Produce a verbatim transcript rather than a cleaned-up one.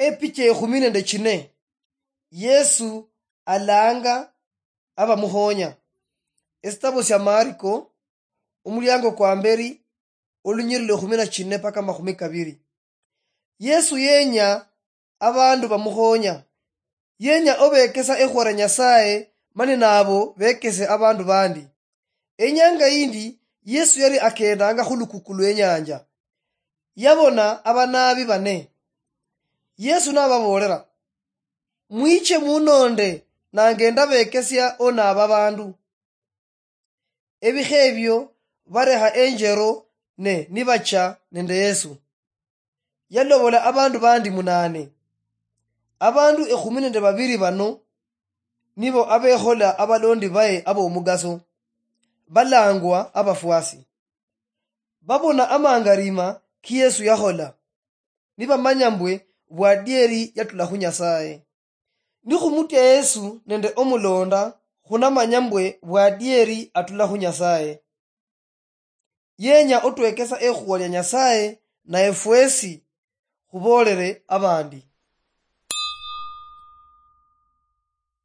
Epicha ekhumi nende chine, Yesu alanga abamuhonya. Esitabo sia Mariko, omuliango kwa mberi, olunyiriri lwa ekhumi na chine paka makhumi kabiri. Yesu yenya abandu bamuhonya. Yenya obekesa ekhuwa lia Nyasaye, mani nabo bekese abandu bandi. Enyanga yindi, Yesu yali akendanga khulukuku lwenyanja. Yabona abanabi bane. Yesu nababolera, "Mwiche munonde, nange ndabekesia onaba abandu." Ebikha ebio barekha enjero ne nibacha nende Yesu. Yalobola abandu bandi munane. Abandu ekhumi nende babiri bano nibo abekhola abalondi baye abomugaso, balangwa abafuasi. Babona amangarima ki Yesu yakhola, nibamanya mbwe bwadieri yatula khu Nyasaye. Nikhumutya Yesu nende omulonda, khunamanya mbwe bwadieri atula khu Nyasaye. Yenya otwekesa ekhuwa lia Nyasaye, naye fwesi khubolere abandi.